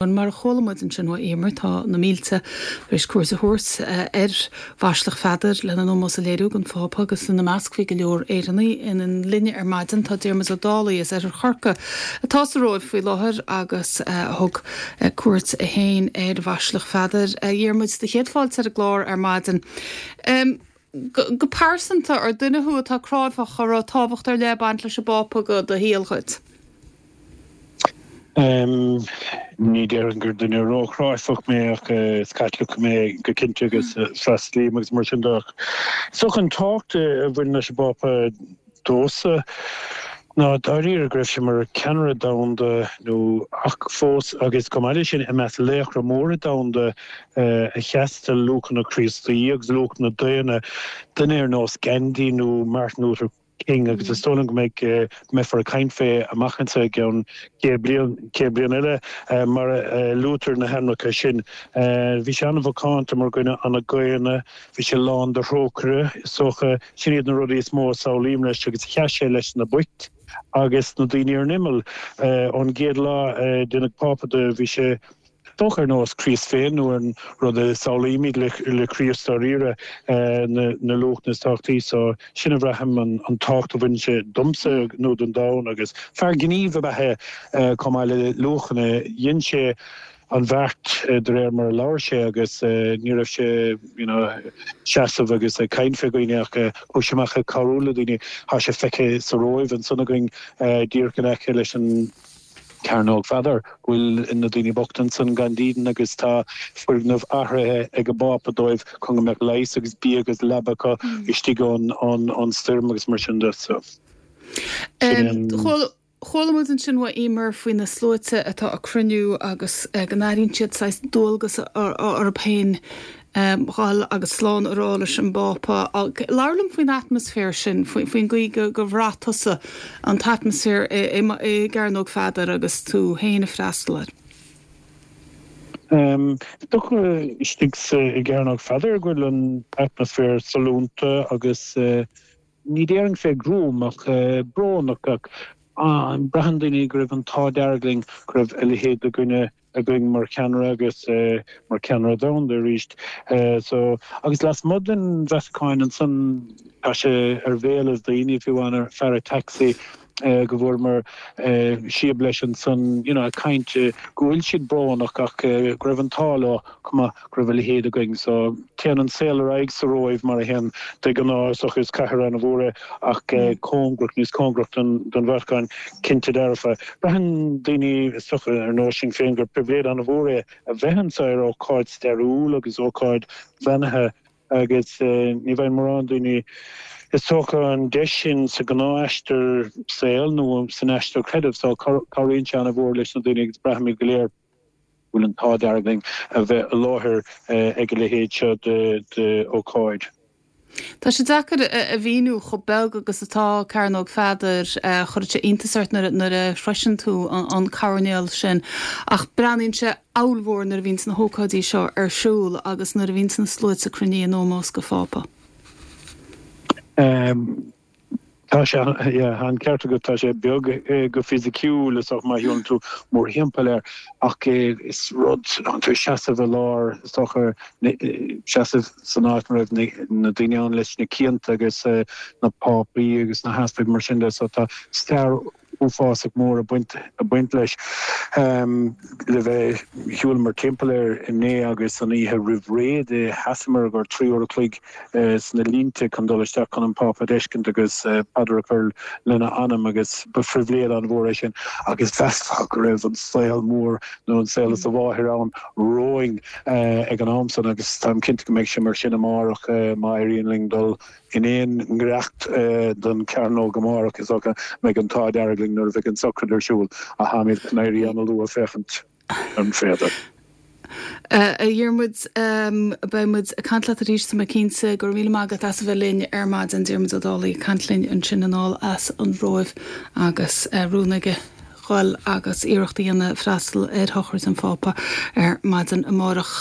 Mar a chuala muid ansin ó Emer, tá na mílte tar éis cuairt a thabhairt ar Bhaisleac Pheadair lena n-ómós a léiriú don Phápa agus ina measc bhí go leor Éireannaigh. Linn ar maidin tá Diarmuid Ó Dálaigh as Oirthear Chorcaí atá sa Róimh faoi láthair agus a thug cuairt é féin ar Bhaisleac Pheadair. A Dhiarmuid, do chéad fáilte ar an gclár ar maidin. Go pearsanta, ar duine thú atá cráifeach, an raibh tábhacht ar leith ag baint leis an bPápa go do shaol dhuit? Ní déarfainn gur duine róchráifeach mé ach is Caitliceach mé go cinnte agus freastalaím agus mar sin de ach is dócha an tábhacht a bhaineann leis an bPápa domhsa ná dáiríre go raibh sé mar cheannaire domhanda nó ach fós agus chomh maith leis sin i measc laochra móra domhanda a sheas do luachanna Críostaí agus luachanna daonna, duine ar nós Gandhi nó Martin Luther King agus is dóigh liom go mbeidh, mbeifear ag caint fé amach anseo i gceann 100 bliain, 100 bliain eile mar a luaitear na hainmneacha sin. Bhí sé an-mhacánta mar dhuine, an-dhaonna, bhí sé lán de thrócaire, is dócha. Sin iad na rudaí is mó a samhlaím leis agus sheas sé leis na boicht agus na daoine ar an imeall. Ón gcéad lá a deineadh Pápa de bhí sé, dócha ar nós Críost féin nó an rud a samhlaímid le Críost dáiríre, na luachanna is tábhachtaí. So sin a bhraithim an tábhacht a bhaineann sé domsa nó don domhan agus fear gnímh ab ea é chomh maith le luachanna. Dhein sé an bheart de réir mar a labhair sé agus ní raibh sé you know seasamh agus ag caint fé dhaoine ach chuaigh sé amach ag cabhrú le daoine. Tá sé feicthe sa Róimh ansan againn díreach in aice leis an Cearnóg Pheadair, go bhfuil na daoine bochta ansan gan dídean agus tá foirgneamh athraithe ag an bPápa dóibh chun go mbeadh leigheas agus bia agus leaba acu istigh ón stoirm agus mar sin de. So, sin é an. Chuala muid ansin ó Emer faoi na sluaite atá ag cruinniú agus go n-airíonn siad saghas dualgas orthu féin dhul agus slán a rá leis an bPápa. Labhair liom faoin atmaisféar sin, faoin gcaoi gur bhraith tusa an t-atmaisféar i gCearnóg Pheadair agus tú féin ag freastal air. Is dócha istigh i gCearnóg Pheadair go bhfuil an t-atmaisféar sollúnta agus ní déarfainn fé ghruaim ach brónach ach braitheann daoine go raibh an t-ádh dearg linn go raibh a leithéid de dhuine againn mar cheannaire agus mar cheannaire domhanda arís. So, agus lasmuigh den Vatacáin ansan, tá sé ar bhéalaibh daoine, fiú amháin an fear taxi go bhfuaireamar síob leis ansan, you know, ag caint go bhfuil siad brónach ach go raibh an t-ádh leo chomh maith go raibh a leithéid againn. So, téann an saol ar aghaidh sa Róimh mar a théann de ghnáth, is dócha, is cathair an-mhór é ach cóngarach, níos cóngarach don Vatacáin, cinnte dearfa. Braitheann daoine, is dócha, ar nós sinn féin, gur pribhléid an-mhór é a bheith anseo ar ócáid stairiúil agus ócáid bheannaithe agus ní bhfaigheann mórán daoine, is dócha, an deis sin sa ghnáth-aistear saoil nó san aistear creidimh. So, cabhraíonn sé an-mhór leis na daoine agus braithimid go léir. bhfuil an t-ádh dearg linn a bheith i láthair ag a leithéid seo d'ócáid. Tá sé deacair a mhíniú chomh beag agus atá Cearnóg Pheadair. Chuirfeadh sé iontas ort nuair a shroiseann tú an coirnéal sin. Ach breathnaíonn sé ollmhór nuair a bhíonns na hócáidí seo ar siúl agus nuair a bhíonns na sluaite cruinnithe in ómós go Phápa. Tá sé, yeah, tá an ceart agat, tá sé beag go fisiciúil, is dócha, má shiúlann tú mórthimpeall air, ach is rud, tá tú ag seasamh i lár, is dócha, seasamh san áit mar a raibh na daoine ann leis na cianta agus na pápaí agus na heaspaig mar sin de, so tá stair uafásach mór ag baint, ag baint leis. Le bheith, shiúlamar timpeall air inné agus an oíche roimh ré de, sheasamar gur 3 uair a chloig sna línte chun dul isteach chun an Pápa a d'fheiscint agus paidir a chur lena anam agus ba phribhléid an-mhór é sin agus mheasfá go raibh an saol mór nó an saol is a mháthair ann romhainn ag an am san agus táim cinnte go mbeidh sé mar sin amárach má éiríonn linn dul in aon ngiorracht don chearnóg amárach, is dócha mbeidh an t-ádh dearg linn nuair a bheidh an tsochraid ar siúl ach táimid chun éirí an-luath féachaint an féidir. A Dhiarmuid, beidh muid ag caint leat arís, tá mé cinnte. Go raibh míle maith agat as a bheith linn ar maidin. Diarmuid Ó Dálaigh ag caint linn ansin anall as an Róimh agus rún aige dhul agus iarracht a dhéanamh freastal ar shochraid an Phápa ar maidin amárach.